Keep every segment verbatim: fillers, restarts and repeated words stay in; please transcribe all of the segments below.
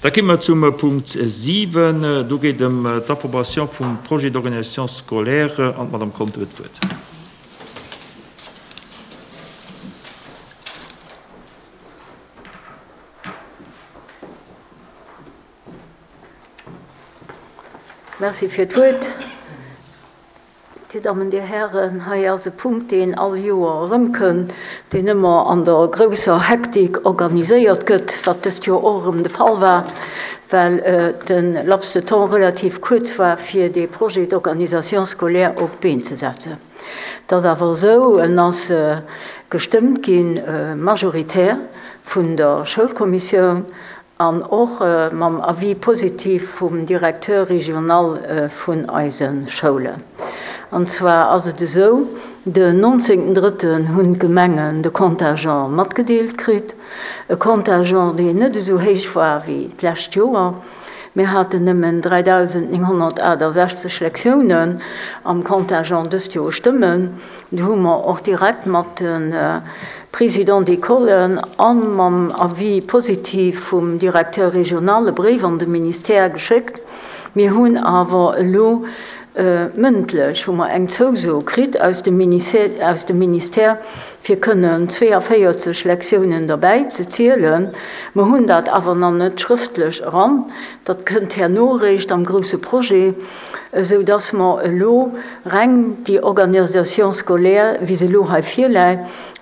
Da gi mer zum Punkt siwen. Do geet et ëm d'Approbation vum Projet d'organisation scolaire an d'Madame Conter huet d'Wuert. Merci fir d'Wuert. Dir Dammen, Dir Hären, hei ass e Punkt, deen all Joer erëmkënn, deen ëmmer an der grousser Hektik organiséiert gëtt, wat dëst Joer och erëm de Fall war, well de Laps de temps relativ kuerz war, fir dee Projet d'organisation scolaire op d'Been ze setzen. Et ass awer esou, en ass gestëmmt gi majoritär vun der Schoulkommissioun an och mam Avis positif vum Directeur régional vun eise Schoulen. An zwar ass et esou, den nonzéngten drëtten hunn d'Gemengen de Contingent matgedeelt kritt, e Contingent, deen net esou héich war wéi d'lescht Joer. Mir haten nëmmen dräidausendnénghonnertaachtasechzeg Lektiounen am Contingent dëst Joer stëmmen. Do hu mer och direkt mat de Présidents d'écolen a mam Avis positif vum Directeur régional e Bréif an de Ministère geschéckt. Mir hunn awer elo mëndlech hu mer eng Zouso kritt aus dem aus dem Ministère, fir kënnen zweeënvéierzeg Lektiounen derbäi ze zielen. Mer hunn dat awer nach net schrëftlech eran. Dat kënnt herno eréischt am grousse Projet, esou dass mer elo reng déi Organisation scolaire, wéi se elo hei virläit,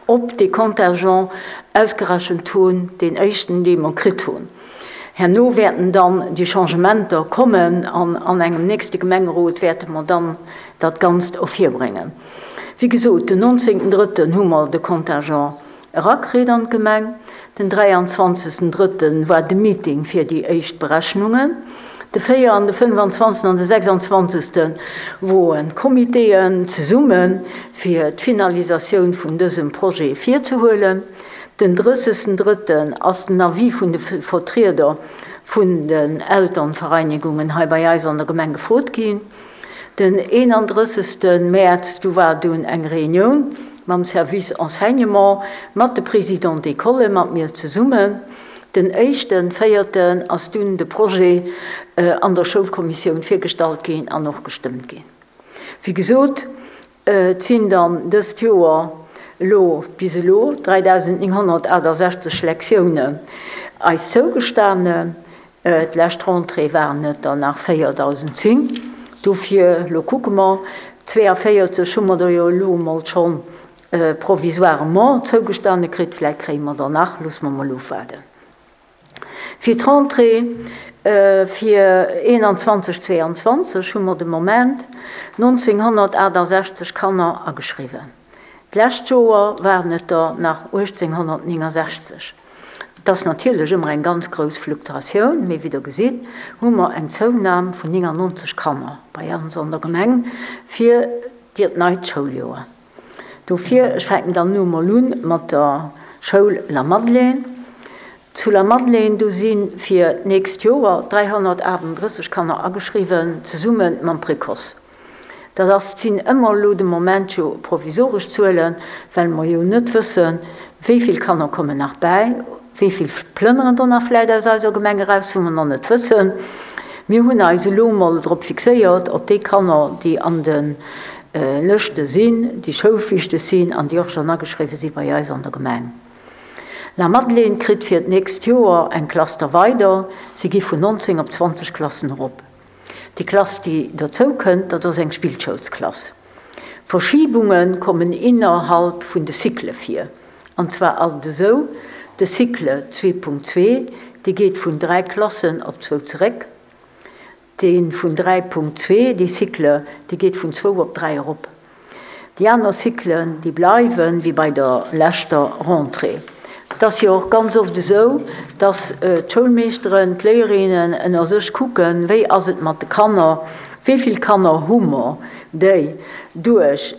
op dee Contingent ausgerechent hunn, deen éischten, dee mer kritt hunn. Herno wäerten dann déi Changementer kommen an an engem nächste Gemengerot wäerte mer dann dat Ganzt ervirbréngen. Wéi gesot, den nonzéngten drëtten hu mer de Contingent erakritt an d'Gemeng. Den dräianzwanzegsten drëtten war de Meeting fir déi éischt Berechnungen. De véier an de fënnefanzwanzegsten an de sechsanzwanzegste woren d'Comitéen zesumme fir d'Finalisatioun vun dësem Projet virzehuelen. Den drëssegsten drëtten ass den Avis vun de Vertrieder vun den Elternvereinigungen hei bei eis an der Gemeng gefrot ginn. Den eenandrëssegste Mäerz, du war dunn eng Reunioun mam Service Enseignement, mat de Présidents d'école, mat mir zesummen. Den éischten véierten ass dunn de Projet an der Schoulkommissioun virgestallt ginn an och gestëmmt ginn. Wéi gesot, et sinn dann dëst Joer elo bis elo dräidausendnénghonnertaachtasechzeg Lektiounen eis zougestanen. D'lescht Rentrée waren et der nach véierdausend zéng. Dofir, elo kucke mer, zweeënvéierzeg hu mer der jo elo emol schonn provisoirement zougestane kritt, vläicht kréie mer der nach, loosse mer mol ofwaarden. Fir d'Rentrée fir eenanzwanzeg, zweeanzwanzeg hu mer de Moment nonzénghonnertaachtasechzeg Kanner ageschriwwen. D'lescht Joer waren et der nach uechtzénghonnertnéngensechzeg. Et ass natierlech ëmmer eng ganz grouss Fluktuatioun, mee wéi Der gesitt, hu mer eng Zounam vun néngannonzeg Kanner bei ons an der Gemeng fir dat neit Schouljoer. Dofir, ech fänken dann elo mol un mat der Schoul Lamadelaine. Zu Lamadelaine, do si fir d'nächst Joer dräihonnertaachtunddrësseg Kanner ageschriwwen, zesumme mam Précoce. Dat ass, sinn ëmmer elo de Moment jo provisoresch Zuelen, well mer jo net wëssen, wéi vill Kanner kommen nach bäi, wéi vill plënneren der nach vläicht aus eiser Gemeng eraus, wou mer nach net wëssen. Mir hunn eis elo emol drop fixéiert, op déi Kanner, déi an de Lëschte sinn, déi schoulflichteg sinn an déi och schonn ageschriwwen si bei eis an der Gemeng. Lamadelaine kritt fir d'nächst Joer eng Klass der weider. Si gi vun nonzéng op zwanzeg Klassen erop. Déi Klass, déi dozou kënnt, dat ass eng Spillschoulsklass. Verschibunge kommen innerhalb vun de Cycle vir. An zwar ass et esou, de Cycle zwee Punkt zwee, dee geet vun dräi Klassen op zwou zeréck. Dee vun dräi Punkt zwee, dee Cycle, dee geet vun zwou op dräi erop. Déi aner Cyclen, déi bleiwen, wéi bei der leschter Rentrée. Et ass jo och ganz oft esou, dass d'Schoulmeeschteren, d'Léierinnen ënner sech kucken, wéi ass et mat de Kanner, wéi vill Kanner hu mer, déi duerch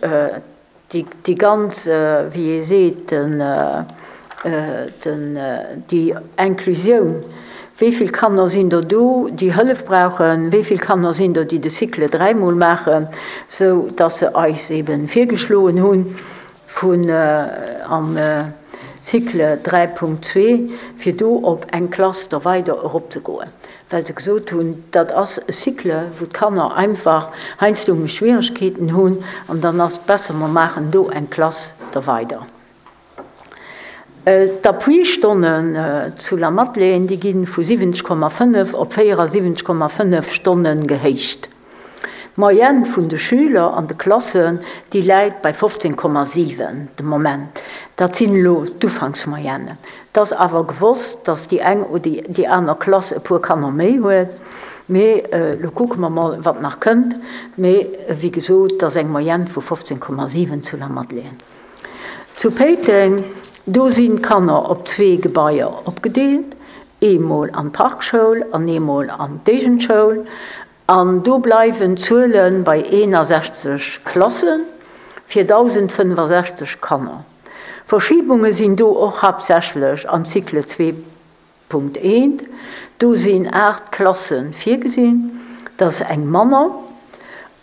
déi ganz, wéi ee seet, den, den, déi Inclusioun, wéi vill Kanner sinn der do, déi Hëllef brauchen, wéi vill Kanner sinn der, déi de Cycle dräimol maachen, sou dass se eis eeben virgeschloen hunn, vun am Cycle dräi Punkt zwee, fir do op eng Klass da weider eropzegoen, well se gesot hunn, dat ass e Cycle, wou d'Kanner einfach heiansdo méi Schwieregkeeten hunn an dann ass et besser, mer maachen do eng Klass da weider. D'Appuistonnen zu Lamadelaine, déi gi vu siwwenzeg Komma fënnef op véierasiwwenzeg Komma fënnef Stonne gehéicht. D'Moyenne vun de Schüler an de Klassen, déi läit bei fofzéng Komma siwen de Moment. Dat sinn elo d'Ufanksmoyennen. Et ass awer gewosst, datt déi eng oder déi aner Klass e puer Kanner méi huet. Mee elo kucke mer mol, wat nach kënnt. Mee wéi gesot, et ass eng Moyenne vu fofzéng Komma siwen zu Lamadelaine. Zu Péiteng, do sinn d'Kanner op zwee Gebaier opgedeelt, eemol an d'Parkschoul an eemol an d'Éigendschoul. An do bleiwen d'Zuele bei eenasechzeg Klasse fir dausendfënnefasechzeg Kanner. Verschibunge sinn do och haaptsächlech am Cycle zwee Punkt eent. Do sinn aacht Klasse virgesinn, dat ass eng manner.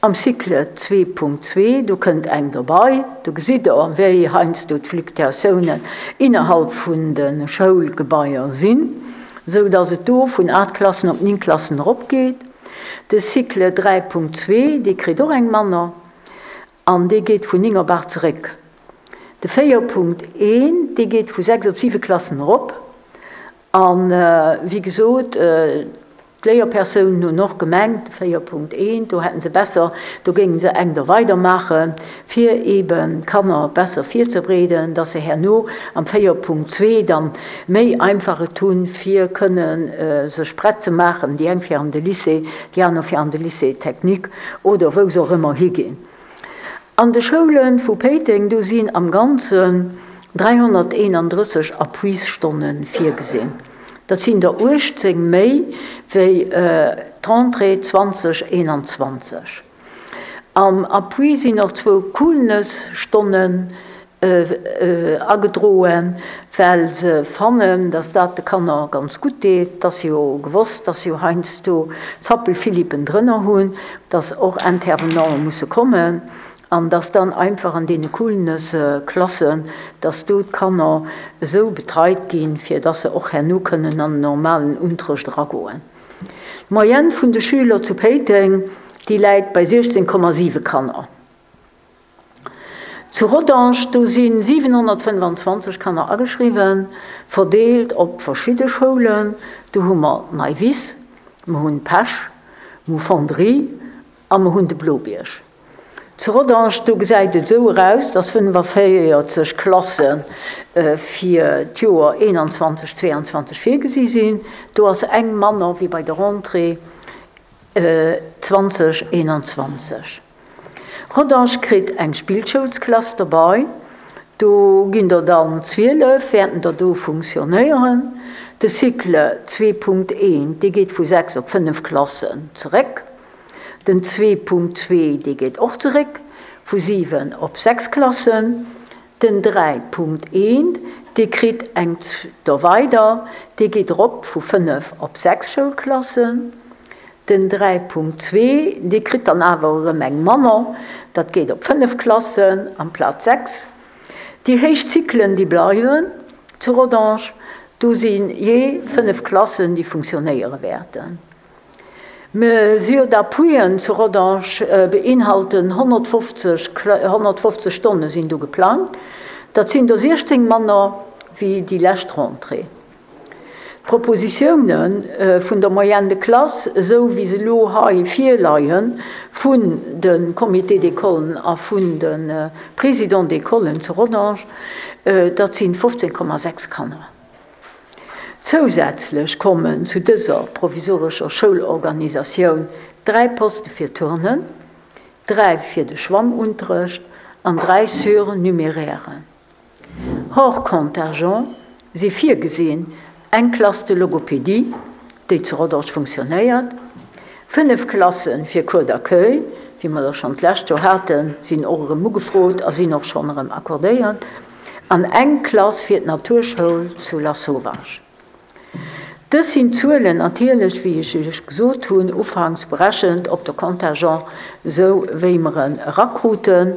Am Cycle zwee Punkt zwee, do kënnt eng dobei. Do gesitt Der, wéi heiansdo d'Fluctuatiounen innerhalb vun de Schoulgebaier sinn, esou datt et do vun aacht Klassen op néng Klassen eropgeet. De Cycle dräi Punkt zwee, dee kritt och eng manner an dee geet vun néng op aacht zeréck. De véier Punkt een, dee geet vu sechs op siwe Klassen erop. An, wéi gesot, d'Léierpersounen hunn och gemengt, de véier Punkt eent, do hätten se besser, do géingen se eng do weidermaachen, fir eeben d'Kanner besser virzebereeden, dass se herno am véier Punkt zwee dann méi einfach et hunn, fir kënnen sech prett ze maachen, déi eng fir an de Lycée, déi aner fir an de Lycée technique oder wou se och ëmmer higinn. An de Schoule vu Péiteng, do sinn am Ganzen dräihonnerteenandrësseg Appuisstonne virgesinn. Dat sinn der uechtzéng méi wéi d'Rentrée zwanzeg eenanzwanzeg. Am Appui sinn och zwou Coolness-Stonnen agedroen, well se fannen, datt dat de Kanner ganz gutt deet. Et ass jo gewosst, datt se jo heiansdo Zappelphilippen drënner hunn, datt och Intervenanten musse kommen. An dass dann einfach an deene Coolness-Klassen, dass do d'Kanner esou betreit ginn, fir dass se och herno kënnen an den normalen Unterrecht eragoen. D'Moyenne vun de Schüler zu Péiteng, déi läit bei siechzéng Komma siwe Kanner. Zu Rodange, do si siwenhonnertfënnfanzwanzeg Kanner ageschriwwen, verdeelt op verschidde Schoulen. Do hu mer d'Neiwiss, mer hunn d'Pesch, mer hu Fonderie a mer hunn de Blobierg. Zu Rodange, do gesäit et esou eraus, dass fënnefaféierzeg Klasse fir d'Joer eenanzwanzeg, zweeanzwanzeg virgesi sinn. Do ass eng manner wéi bei der Rentrée zwanzeg eenanzwanzeg. Rodange kritt eng Spillschoulsklass dobei. Do ginn der dann zwielef, wäerten der do funktionéieren. De Cycle zwee Punkt eent, dee geet vu sechs op fënnef Klassen zeréck. Den zwee Punkt zwee, dee geet och zeréck vu siwen op sechs Klassen. Den dräi Punkt eent, dee kritt eng do weider, dee geet erop vu fënnef op sechs Schoulklassen. Den dräi Punkt zwee, dee kritt dann awer erëm eng manner, dat geet op fënnef Klassen amplaz sechs. Déi héich Zyklen, déi bleiwen zu Rodange, do si jee fënnef Klassen, déi funktionéiere wäerten. Mesures d'appuien zu Rodange beinhalten honnertfofzeg honnertfofzeg Stonne sinn do geplangt. Dat sinn der siechzéng manner wéi déi lescht Rentrée. D'Propositioune vun der Moyenne de classe, esou wéi se elo hei virleien, vun de Comités d'écolen a vun de Présidents d'écolen zu Rodange, dat si fofzéng Komma sechs Kanner. Zousätzlech kommen zu dëser provisorescher Schoulorganisatioun dräi Poste fir Turnen, dräi fir de Schwammunterrecht an dräi Surnumérären. Hors contingent si virgesinn eng Klass de logopédie, déi zu Rodange funktionéiert, fënnef Klasse fir Cours d'accueil, wéi mer der schonn d'lescht Joer haten, sinn och erëm ugefrot a sinn och schonn erëm accordéiert, an eng Klass fir d'Naturschoul zu Lasauvage. Dës sinn d'Zuelen natierlech, wéi ech Iech gesot hunn, ufanks berechent op de Contingent, esou wéi mer en erakruten.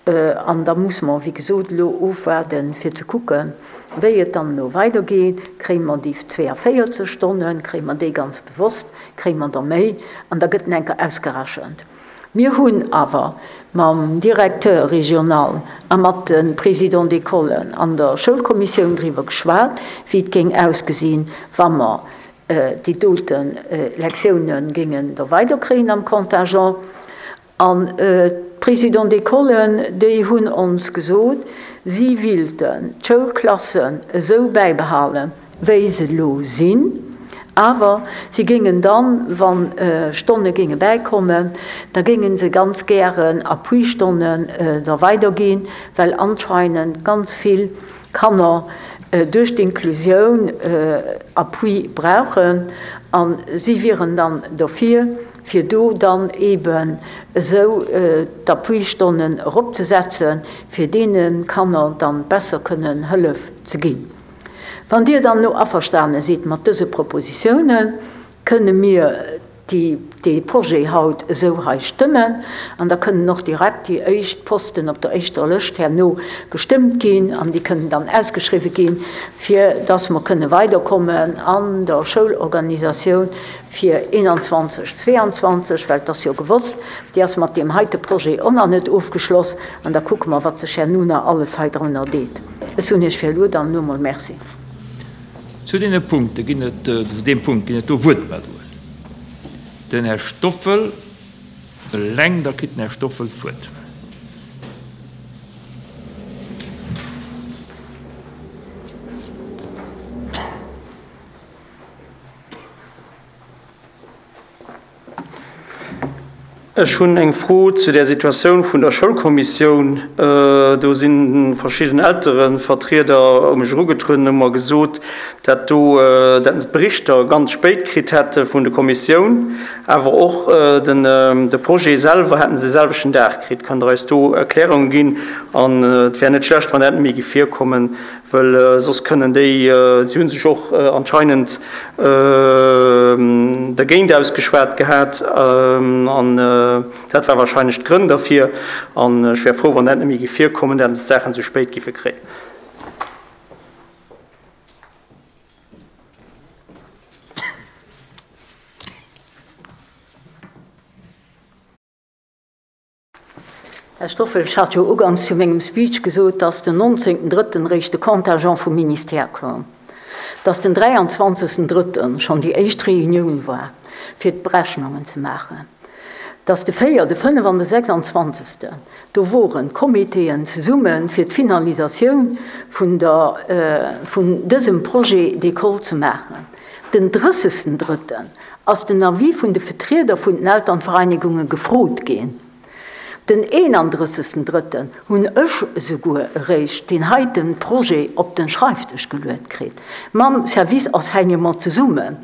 An da musse mer, wéi gesot, elo ofwaarden, fir ze kucken, wéi et dann elo weidergeet. Kréie mer déi zweeënvéierzeg Stonnen, kréie mer déi ganz bewosst, kréie mer der méi? An da gëtt en enker ausgerechent. Mir hunn awer mam Directeur régional a mat de Présidents d'écolen an der Schoulkommissioun driwwer geschwat, wéi et géing ausgesinn, wa mer déi dote Lektiounen géingen da weiderkréien am Contingent. An d'Présidents d'écolen, déi hunn ons gesot, si wilten d'Schoulklassen esou bäibehalen, wéi se elo sinn, awer si géingen dann, wa Stonne géinge bäikommen, da géinge se ganz gären Appuistonnen da weiderginn, well anscheinend ganz vill Kanner duerch d'Inklusioun Appui brauchen. A si wieren dann derfir, fir do dann eeben esou d'Appuistonnen eropzesetzen, fir deene Kanner dann besser kënnen Hëllef ze ginn. Wann Dir dann elo averstane sidd mat dëse Propositiounen, kënne mir dee Projet haut esou hei stëmmen an da kënnen och direkt déi éischt Posten op der éischter Lëscht herno gestëmmt ginn an déi kënnen dann ausgeschriwwen ginn, fir dass mer kënne weiderkommen an der Schoulorganisatioun fir eenanzwanzeg, zweeanzwanzeg, well et ass jo gewosst, déi ass mat deem heite Projet och nach net ofgeschloss an da kucke mer, wat sech herno nach alles hei drënner deet. Ech soen Iech fir elo dann elo emol Merci. Zu deene Punkte ginn et, zu deem Punkt ginn et do Wuertmeldungen. Den Här Stoffel eleng, da kritt den Här Stoffel d'Wuert. Ech hunn eng Fro zu där Situatioun vun der Schoulkommissioun. Do si verschidden Elterevertrieder u mech erugetrueden an hu mer gesot, dat do, dat se d'Berichter ganz spéit kritt hätte vun der Kommissioun, awer och den, de Projet selwer hätte se de selwechten Dag kritt. Kënnt Der eis do Erklärunge ginn? An et wär net schlecht, wann dat net méi géif virkommen, wëll soss kënnen déi, si hu sech och anscheinend dergéint ausgeschwat gehat an dat war wahrscheinlech d'Grënn derfir. An ech wär frou, wann dat net méi géif virkommen, dat se d'Saachen esou spéit géife kréien. Här Stoffel, ech hat jo uganks vu mengem Speech gesot, dass den nonzéngten Drëtten eréischt de Contingent vum Ministère koum, dass den dräianzwanzegsten Drëtten schonn déi éischt Reunioun war, fir d'Berechnungen ze maachen, dass de véier, de fënnef an de sechsanzwanzegsten, do woren d'Comitéen zesumme fir d'Finalisatioun vun der, vun dësem Projet d'école ze maachen. Den drëssegsten Drëtten ass den Avis vun de Vetrieder vun den Elternvereinigunge gefrot ginn. Den eenandrëssegsten Drëtten hunn ech esouguer eréischt deen heite Projet op de Schreifdësch geluet kritt, mam Service Enseignement zesummen.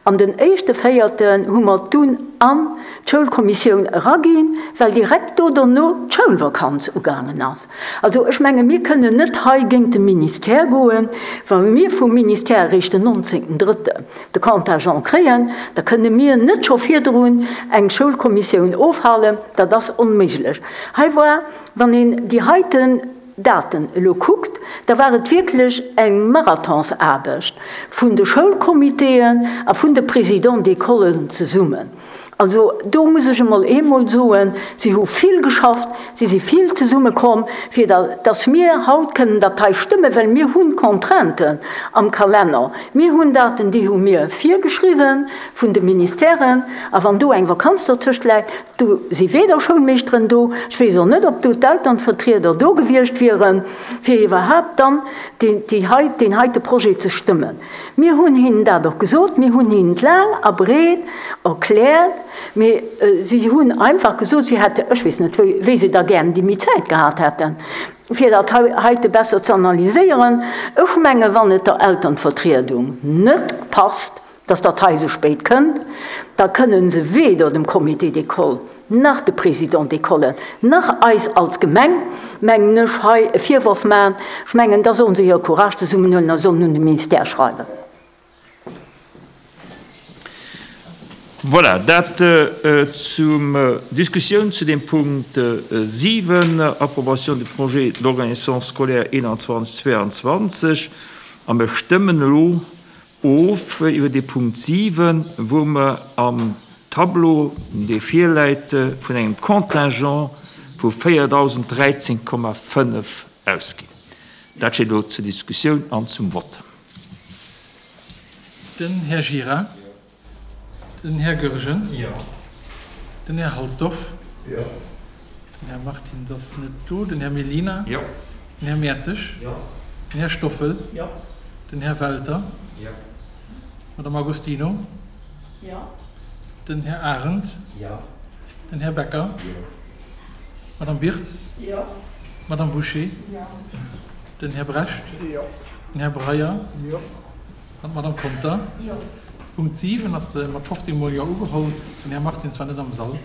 An den éischte Véierten hu mer dunn an d'Schoulkommissioun eraginn, well direkt do derno d'Schoulvakanz ugaangen ass. Also ech menge mir kënnen net hei géint de Ministère goen, wa mir vum Ministère eréischt den nonzéngten Drëtten de Contingent kréien, da kënne mir net scho virdrun eng Schoulkommissioun ofhalen, dat ass onméiglech. Hei war, wann een déi heiten Daten elo kuckt, da war et wierklech eng Marathonsaarbecht vun de Schoulcomitéen a vun de Présidents d'écolen zesummen. Also do muss ech emol eemol soen, si hu vill geschafft, si si vill zesummekomm, fir datt mir haut kënnen dat hei stëmmen, well mir hu Contrainten am Kalenner. Mir hunn Daten, déi hu mir virgeschriwwen vun de Ministèren. A wann do eng Vakanz dertëscht läit, do si weder Schoulmeeschteren do, ech weess och net, ob do d'Elternvertrieder do gewiescht wieren, fir iwwerhaapt dann deen heite Projet ze stëmmen. Mir hunn hinnen dat och gesot, mir hunn hinnen et laang a breet erkläert, mee si hunn einfach gesot, si hätte, ech weess net, wéi se da gären déi méi Zäit gehat hätten, fir dat heite besser ze analyséieren. Ech menge wann et der Elternvertriedung net passt, dass dat hei esou spéit kënnt, da kënnen se weder dem Comité d'école nach de Présidents d'écolen, nach eis als Gemeng, mengen ech, hei e Virworf maachen. Ech mengen, da sollen se hire Courage zesummenhuelen a sollen un de Ministère schreiwen. Voilà, dat zum Diskussioun zu dem Punkt siwen, Approbation du projet d'organisation scolaire einundzwanzig zweiundzwanzig. A mir stëmmen elo of iwwer dee Punkt siwen, wou mer am Tableau, dee virläit, vun engem Contingent vu véierdausend dräizéng Komma fënnef ausginn. Dat steet elo zur Diskussioun an zum Vott. Den Här Gira. Den Här Goergen. Den Här Halsdorf. Den Här Martins ass net do. Den Här Mellina. Den Här Mertzig. Den Här Stoffel. Den Här Welter. Madame Agostino. Den Här Arendt. Den Här Becker. Madame Birtz. Madame Boucher. Den Här Brecht. Den Här Breyer. An d'Madame Conter. Punkt siwen ass mat fofzéng mol Jo ugeholl. Den Här Martins war net am Sall.